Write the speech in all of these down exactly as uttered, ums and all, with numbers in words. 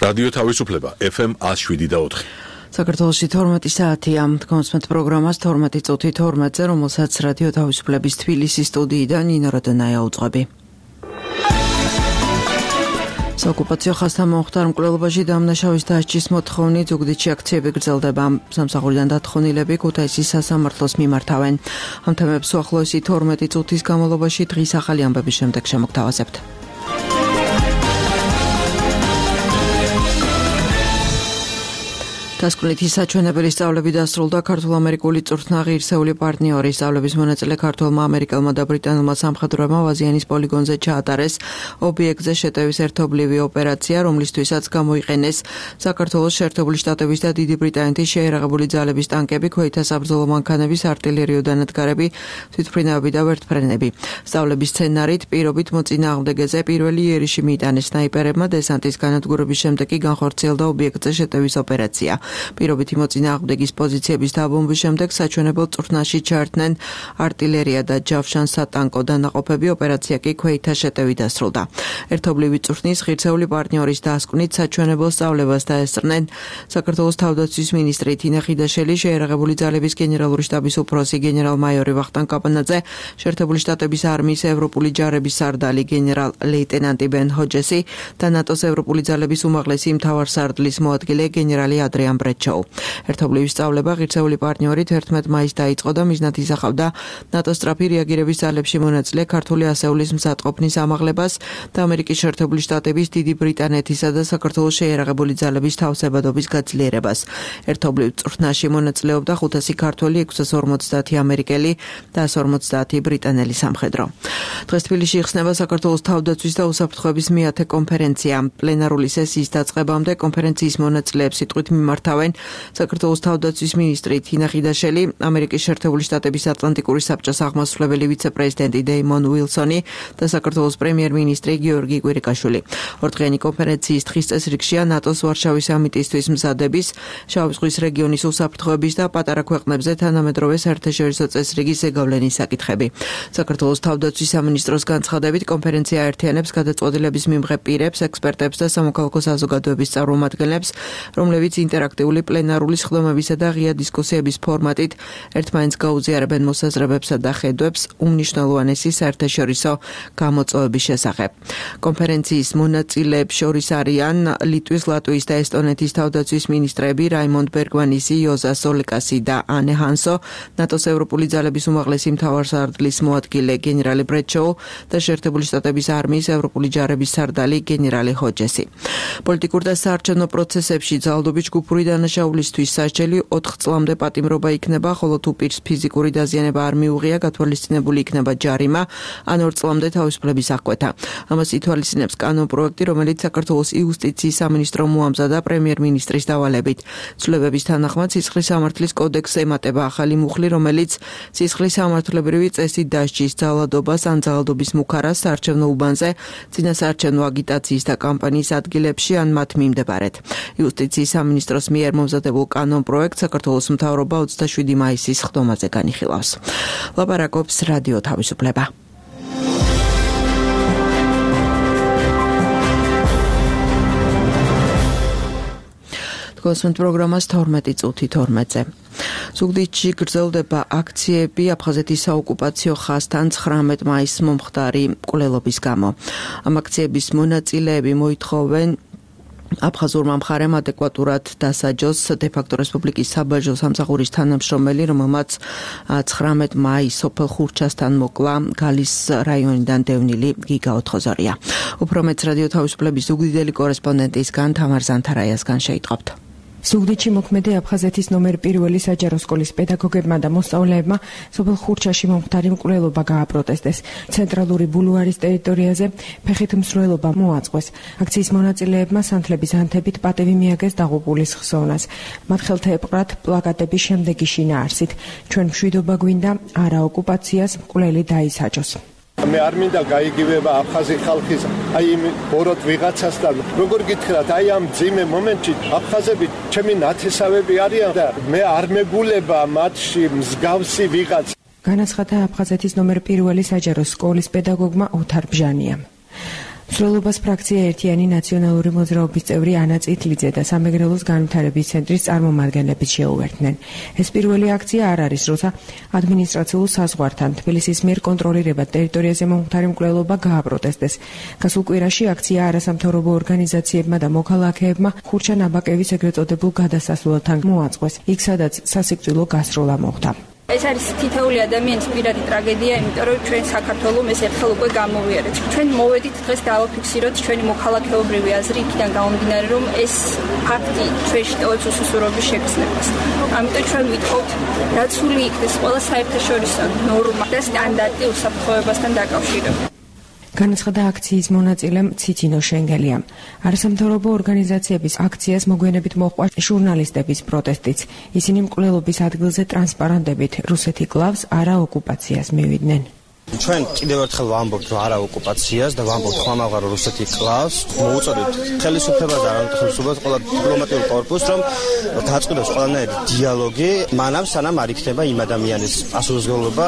რადიო თავისუფლება ეფ ემ ათს შვიდი და ოთხი. საქართველოში თორმეტი საათია. კონსმეთ პროგრამას თორმეტი წუთი თორმეტზე, რომელსაც რადიო თავისუფლების თბილისის სტუდიიდან ნინო როდენაია უძღვები. საოკუპაციო ხაზთან მომხდარ მკვლელობაში დამნაშავის დასჯის მოთხოვნით ზუგდიდში აქციები გრძელდება. სამსახურიდან დათხოვნილები ქუთაისის სასამართლოს მიმართავენ. ამ თემებს უახლოესი თორმეტი წუთის განმავლობაში დღის ახალი ამბების შემდეგ შემოგთავაზებთ. დასკვნითი საჩვენებელი სწავლები დასრულდა ქართულ-ამერიკული წვრთნა ღირსეული პარტნიორის სწავლების მონაწილე ქართველმა ამერიკელმა და ბრიტანულმა სამხედროებმა ვაზიანის პოლიგონზე ჩაატარეს ობიექტზე შეტევის ერთობლივი ოპერაცია, რომლისთვისაც გამოიყენეს საქართველოს შეერთებული შტატების და დიდი ბრიტანეთის შეიარაღებული ძალების ტანკები, ქვეითთა საბრძოლო მანქანების, არტილერიო დანადგარები, თვითმფრინავები და ვერტმფრენები. სწავლების სცენარით პირობით მოწინააღმდეგეზე პირველი იერიში მიიტანეს სნაიპერებმა, დესანტის განადგურების შემდეგ კი განხორციელდა ობიექტზე შეტევის ოპერაცია. პირობითი მოწინააღმდეგის პოზიციების დაბომბვის შემდეგ საჩვენებელ წვრთნაში ჩაერთნენ არტილერია და ჯავშან-სატანკო დანაყოფები, ოპერაცია კი ქვეითთა შეტევით დასრულდა. ერთობლივი წვრთნის ღირსეული პარტნიორის დასკვნით საჩვენებელ სწავლებას დაესწრნენ საქართველოს თავდაცვის მინისტრი თინა ხიდაშელი, შეიარაღებული ძალების გენერალური შტაბის უფროსი გენერალ-მაიორი ვახტანგ კაპანაძე, შეერთებული შტატების არმიის ევროპული ჯარების სარდალი გენერალ-ლეიტენანტი ბენ ჰოჯესი და ნატოს ევროპული ძალების უმაღლესი მთავარსარდლის მოადგილე გენერალი ადრიან ბრეჩოუ. ერთობლივი სწავლება ღირსეული პარტნიორით ერთმეტ მაისს დაიწყო და მიზნად ისახავდა ნატოს სწრაფი რეაგირების ძალებში მონაწილე ქართული ასეულის მზადყოფნის ამაღლებას და ამერიკის შეერთებული შტატების, დიდი ბრიტანეთისა და საქართველოს შეიარაღებული ძალების თავსებადობის გაძლიერებას. ერთობლივ წვრთნაში მონაწილეობდა ხუთასი ქართველი, ექვსას ორმოცდაათი ამერიკელი და ასას ორმოცდაათი ბრიტანელი სამხედრო. დღეს თბილისში იხსნება საქართველოს თავდაცვის და უსაფრთხოების მეათე კონფერენცია. პლენარული სესიის დაწყებამდე კონფერენციის მონაწილეებს სიტყვით მიმართავენ საქართველოს თავდაცვის მინისტრი თინა ხიდაშელი, ამერიკის შეერთებული შტატების ატლანტიკური საბჭოს აღმასრულებელი ვიცე-პრეზიდენტი დეიმონ უილსონი და საქართველოს პრემიერ-მინისტრი გიორგი კვირიკაშვილი. ორდღიანი კონფერენციის დღის წესრიგშია ნატოს ვარშავის სამიტისთვის მზადების, შავი ზღვის რეგიონის უსაფრთხოების და პატარა ქვეყნებზე თანამედროვე საერთაშორისო წესრიგის ზეგავლენის საკითხები. საქართველოს თავდაცვის სამინისტროს განცხადებით, კონფერენცია აერთიანებს გადაწყვეტილების მიმღებ პირებს, ექსპერტებს და სამოქალაქო საზოგადოების წარმომადგენლებს, რომლებიც ინტერაქტიული პლენარული სხდომებისა და ღია დისკუსიების ფორმატით ერთმანეთს გაუზიარებენ მოსაზრებებსა და ხედვებს უმნიშვნელოვანესი საერთაშორისო გამოწვევების შესახებ. კონფერენციის მონაწილეებს შორის არიან ლიტვის, ლატვიის და ესტონეთის თავდაცვის მინისტრები რაიმონდ ბერგვანისი, იოზა სოლეკასი და ანე ჰანსო, ნატოს ევროპული ძალების უმაღლესი მთავარსარდლის მოადგილე გენერალი ბრეჩოუ და შეერთებული შტატების არმიის ევროპული ჯარების სარდალი გენერალი ჰოჯესი. პოლიტიკურ და საარჩევნო პროცესებში ძალადობის ჯგუფური დანაშაულისთვის სასჯელი ოთხ წლამდე პატიმრობა იქნება, ხოლო თუ პირს ფიზიკური დაზიანება არ მიუღია, გათვალისწინებული იქნება ჯარიმა ან ორ წლამდე თავისუფლების აღკვეთა. ამას ითვალისწინებს კანონპროექტი, რომელიც საქართველოს იუსტიციის სამინისტრო მოამზადა პრემიერ-მინისტრის დავალებით. ცვლილებების თანახმად სისხლის სამართლის კოდექსს ემატება ახალი მუხლი, რომელიც სისხლის სამართლებრივი წესით დასჯის ძალადობას ან ძალადობის მუქარას საარჩევნო უბანზე, წინასაარჩევნო აგიტაციის და კამპანიის ადგილებში ან მათ მიმდებარედ. იუსტიციის სამინისტროს მიერ მომზადებულ კანონპროექტს საქართველოს მთავრობა ოცდაშვიდი მაისის სხდომაზე განიხილავს. ლაპარაკობს რადიო თავისუფლება. კონსმეთ პროგრამას თორმეტი წუთი თორმეტზე. ზუგდიდში გრძელდება აქციები აფხაზეთის საოკუპაციო ხაზთან ცხრამეტ მაისს მომხდარი მკვლელობის გამო. ამ აქციების მონაწილეები მოითხოვენ აფხაზურმა მხარემ ადეკვატურად დასაჯოს დე-ფაქტო რესპუბლიკის საბაჟო სამსახურის თანამშრომელი, რომელმაც ცხრამეტ მაისს სოფელ ხურჩასთან მოკლა გალის რაიონიდან დევნილი გიგა ოთხოზორია. უფრო მეტს რადიო თავისუფლების ზუგდიდელი კორესპონდენტისგან თამარ ზანთარაიასგან შეიტყობთ. ზუგდიდში მოქმედი აფხაზეთის ნომერ პირველი საჯარო სკოლის პედაგოგებმა და მოსწავლეებმა სოფელ ხურჩაში მომხდარი მკვლელობა გააპროტესტეს. ცენტრალური ბულვარის ტერიტორიაზე ფეხით მსვლელობა მოაწყვეს. აქციის მონაწილეებმა სანთლების ანთებით პატევი მიაგეს დაღუპულის ხსოვნას. მათ ხელთ ეპყრათ პლაკატები შემდეგი შინაარსით: ჩვენ მშვიდობა გვინდა, არა ოკუპაციას, მკვლელი დაისაჯოს. მე არ მინდა გაიგივება აფხაზი ხალხის აი იმ ბოროტ ვიღაცასთან. როგორ გითხრათ, აი ამ ძიმე მომენტში აფხაზები ჩემი ნათესავები არიან და მე არ მეგულება მათში მსგავსი ვიღაც. განაცხადა აფხაზეთის ნომერ პირველი საჯარო სკოლის პედაგოგმა ოთარ ბჟანიამ. მსვლელობას ფრაქცია ერთიანი ნაციონალური მოძრაობის წევრი ანა წითლიძე და სამეგრელოს განვითარების ცენტრის წარმომადგენლებით შეუერთდნენ. ეს პირველი აქცია არ არის, როცა ადმინისტრაციულ საზღვართან თბილისის მიერ კონტროლირებად ტერიტორიაზე მომხდარი მკვლელობა გააპროტესტეს. გასულ კვირაში აქცია არასამთავრობო ორგანიზაციებმა და მოქალაქეებმა ხურჩა ნაბაკევის ეგრეთ წოდებულ გადასასვლელთან მოაწყვეს, იქ სადაც სასიკვდილო გასროლა მოხდა. ეს არის თითოეული ადამიანის პირადი ტრაგედია, იმიტომ რომ ჩვენ საქართველოს ეს ერთხელ უკვე გამოვიარეთ. ჩვენ მოვედით დღეს დავაფიქსიროთ ჩვენი მოქალაქეობრივი აზრი იქიდან გამომდინარე, რომ ეს ფაქტი ჩვენში ტოვებს უსუსურობის შეგრძნებას. ამიტომ ჩვენ ვითხოვთ, რაც სული იქნეს ყველა საერთაშორისო ნორმა და სტანდარტი უსაფრთხოებასთან დაკავშირებით. განაცხადა აქციის მონაწილემ ციცინო შენგელიამ. არასამთავრობო ორგანიზაციების აქციას მოგვიანებით მოჰყვა ჟურნალისტების პროტესტიც. ისინი მკვლელობის ადგილზე ტრანსპარანტებით რუსეთი კლავს, არა ოკუპაციას მივიდნენ. ჩვენ კიდევ ერთხელ ვამბობთ არა ოკუპაციას და ვამბობთ ხმამაღარო რუსეთი კლავს. მოუწოდეთ ხელისუფლებას და არამხელისუფლებას ყველა დიპლომატიურ კორპუსს, რომ დაწყდეს ყველანაირი დიალოგი, მანამ სანამ არ იქნება იმ ადამიანის პასუხისმგებლობა.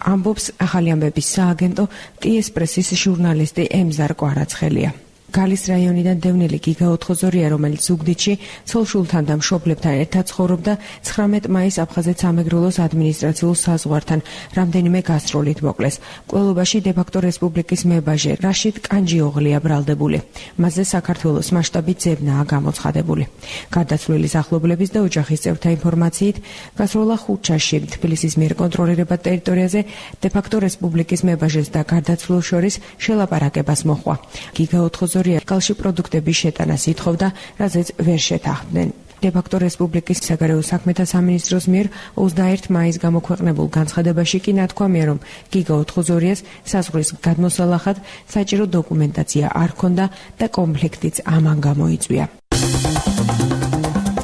ამბობს ახალი ამბების სააგენტო ტიეს პრესის ჟურნალისტი ემზარ კვარაცხელია. გალის რაიონიდან დევნილი გიგა ოთხოზორია, რომელიც ზუგდიდში ცოლ-შულთან და მშობლებთან ერთად ცხოვრობდა, ცხრამეტ მაისს აფხაზეთ სამეგრელოს ადმინისტრაციულ საზღვართან რამდენიმე გასტროლით მოკლეს. მკვლელობაში დე-ფაქტო რესპუბლიკის მებაჟე რაშიდ კანჯიოღლია ბრალდებული. მასზე საქართველოს მასშტაბით ძებნაა გამოცხადებული. გარდაცვლილის ახლობლების და ოჯახის წევრთა ინფორმაციით, გასროლა ხუთშაში თბილისის მიერ კონტროლირებად ტერიტორიაზე დე-ფაქტო რესპუბლიკის მებაჟეს და გარდაცვლილ შორის შელაპარაკებას მოჰყვა. გიგა ოთხოზორია კალში პროდუქტების შეტანას ითხოვდა, რაზეც ვერ შეთანხმდნენ. დე-ფაქტო რესპუბლიკის საგარეო საქმეთა სამინისტროს მიერ ოცდაერთი მაისს გამოქვეყნებულ განცხადებაში კი ნათქვამია, რომ გიგა ოთხოზორიას საზღვრის გადმოსალახად საჭირო დოკუმენტაცია არ ჰქონდა და კონფლიქტიც ამან გამოიწვია.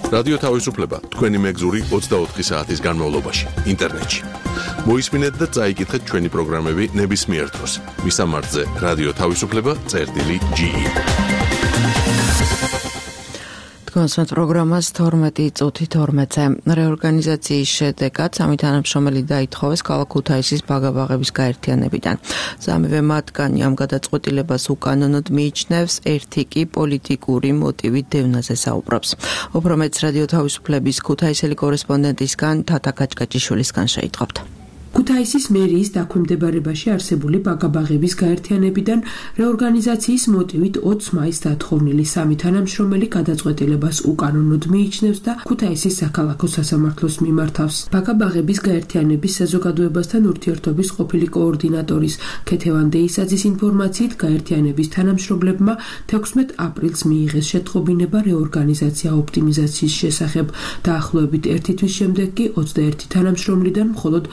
რადიო თავისუფლება თქვენი მეგზური ოცდაოთხი საათის განმავლობაში ინტერნეტში. მოისმინეთ და წაიკითხეთ ჩვენი პროგრამები ნებისმიერ დროს. მისამართზე რადიო თავისუფლება წერტილი ჯი. თქვენს პროგრამას თორმეტი წუთი თორმეტზე. რეორგანიზაციის შედეგად სამი თანამშრომელი დაითხოვეს ქალაქ ქუთაისის ბაგაბაღების გაერთიანებიდან. სამივე მათგანი ამ გადაწყვეტილებას უკანონოდ მიიჩნევს, ერთი კი პოლიტიკური მოტივით დევნაზე საუბრობს. უფრო მეტს რადიო თავისუფლების ქუთაისელი კორესპონდენტისგან თათა კაჭკაჭიშვილისგან შეიტყობთ. ქუთაისის მერიის დაქვემდებარებაში არსებული ბაგაბაღების გაერთიანებიდან რეორგანიზაციის მოტივით ოცი მაისს დათხოვნილი სამი თანამშრომელი გადაწყვეტილებას უკანონოდ მიიჩნევს და ქუთაისის საქალაქო სასამართლოს მიმართავს. ბაგაბაღების გაერთიანების საზოგადოებასთან ურთიერთობის ყოფილი კოორდინატორის ქეთევან დეისაძის ინფორმაციით, გაერთიანების თანამშრომლებმა თექვსმეტ აპრილს მიიღეს შეტყობინება რეორგანიზაცია ოპტიმიზაციის შესახებ. დაახლოებით ერთი თვის შემდეგ კი ოცდაერთი თანამშრომლიდან მხოლოდ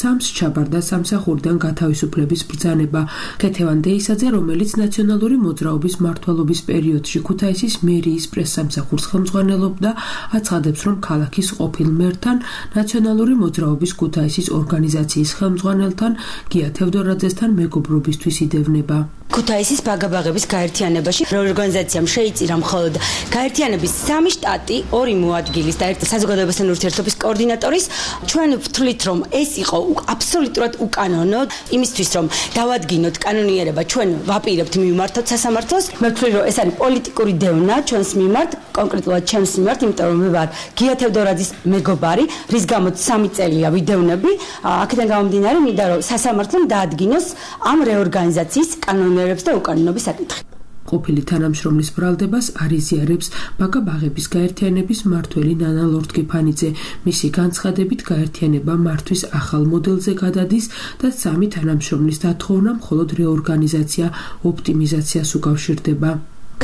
სამს ჩაბარდა სამსახურიდან გათავისუფლების ბრძანება. ქეთევან დეისაძე, რომელიც ნაციონალური მოძრაობის მმართველობის პერიოდში ქუთაისის მერიის პრესსამსახურს ხელმძღვანელობდა, აცხადებს, რომ ქალაქის ყოფილ მერთან, ნაციონალური მოძრაობის ქუთაისის ორგანიზაციის ხელმძღვანელთან გია თევდორაძესთან მეგობრობისთვის იდევნება. ქუთაისის ბაგაბაღების გაერთიანებაში რეორგანიზაციამ შეიწირა მხოლოდ გაერთიანების სამი შტატი, ორი მოადგილის და ერთი საზოგადოებასთან ურთიერთობის კოორდინატორის. ჩვენ ვთვლით, რომ ეს იყო აბსოლუტურად უკანონო, იმისთვის რომ დავადგინოთ კანონიერება, ჩვენ ვაპირებთ მივმართოთ სასამართლოს. მე ვთვლი, რომ ეს არის პოლიტიკური დევნა ჩვენს მიმართ, კონკრეტულად ჩემს მიმართ, იმიტომ რომ მე ვარ გია თევდორაძის მეგობარი, რის გამოც სამი წელია ვიდევნები. აქედან გამომდინარე, მინდა რომ სასამართლომ დაადგინოს ამ რეორგანიზაციის კანონიერებს და უკანონობის საკითხი. ყოფილი თანამშრომლის ბრალდებას არიზიარებს ბაგაბაღების გაერთიანების მმართველი ნანა ლორთქიფანიძე. მისი განცხადებით, გაერთიანება მართვის ახალ მოდელზე გადადის და სამი თანამშრომლის დათხოვნა მხოლოდ რეორგანიზაცია ოპტიმიზაციას უკავშირდება.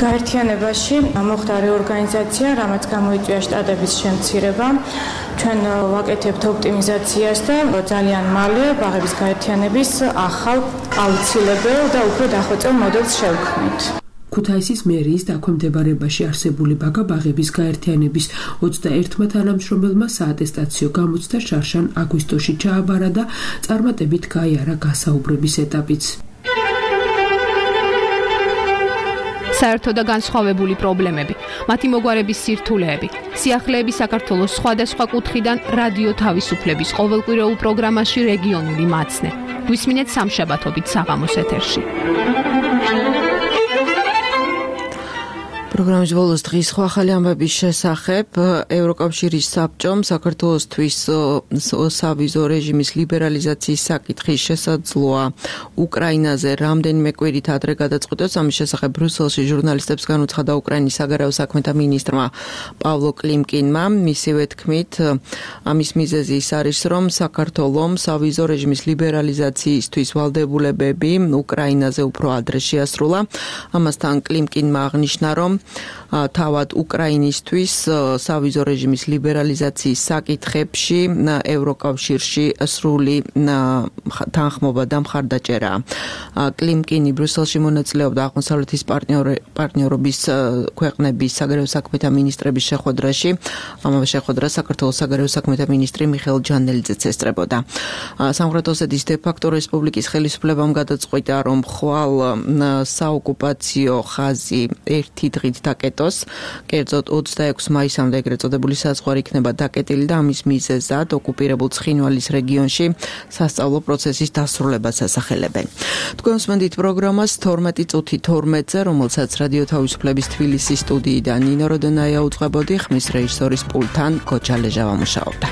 გაერთიანებაში მოხდა რეორგანიზაცია, რამაც გამოიწვია შტატების შემცირება. ჩვენ ვაკეთებთ ოპტიმიზაციას და ძალიან მალე ბაღების გაერთიანების ახალ აუცილებელ და უფრო დახვეწილ მოდელს შევქმნით. ქუთაისის მერიის დაქვემდებარებაში არსებული ბაგაბაღების გაერთიანების ოცდაერთმა თანამშრომელმა საატესტაციო გამოცდა შარშან აგვისტოში ჩააბარა და წარმატებით გაიარა გასაუბრების ეტაპიც. საერთო და განსხვავებული პრობლემები, მათი მოგვარების სირთულეები, სიახლეები საქართველოს სხვადასხვა კუთხიდან რადიო თავისუფლების ყოველკვირეულ პროგრამაში რეგიონული მაცნე. გვისმინეთ სამშაბათობით საღამოს ეთერში. პროგრამის ბოლოს დღის სხვა ახალი ამბების შესახებ ევროკავშირის საბჭომ საქართველოსთვის სავიზო რეჟიმის ლიბერალიზაციის საკითხის შესაძლოა უკრაინაზე რამდენიმე კვირით ადრე გადაწყვეტოს. ამის შესახებ ბრიუსელში ჟურნალისტებს განუცხადა უკრაინის საგარეო საქმეთა მინისტრმა პავლო კლიმკინმა. მისივე თქმით, ამის მიზეზი ის არის, რომ საქართველოს სავიზო რეჟიმის ლიბერალიზაციისთვის ვალდებულებები უკრაინაზე უფრო ადრე შეასრულა. ამასთან კლიმკინმა აღნიშნა, რომ თავად უკრაინისთვის სავიზო რეჟიმის ლიბერალიზაციის საკითხებში ევროკავშირში სრული თანხმობა და მხარდაჭერა. კლიმკინი ბრიუსელში მონაწილეობდა აღმოსავლეთის პარტნიორობის ქვეყნების საგარეო საქმეთა მინისტრების შეხვედრაში. ამავე შეხვედრას საქართველოს საგარეო საქმეთა მინისტრი მიხეილ ჯანელიძეც ესწრებოდა. სამხრეთ ოსეთის დე-ფაქტო რესპუბლიკის ხელისუფლებამ გადაწყვიტა, რომ ხვალ საოკუპაციო ხაზი ერთი დღით დაკეტოს. კერძოდ ოცდაექვსი მაისამდე ეგრეთ წოდებული საზღვარი იქნება დაკეტილი და ამის მიზეზად ოკუპირებულ ცხინვალის რეგიონში სასწავლო პროცესის დასრულებას ასახელებენ. თქვენ უსმენთ პროგრამას თორმეტი წუთი თორმეტზე, რომელსაც რადიო თავისუფლების თბილისის სტუდიიდან ნინო როდონაია უძღვებოდი, ხმის რეჟისორის პულტთან გოჩა ლეჟავა მუშაობდა.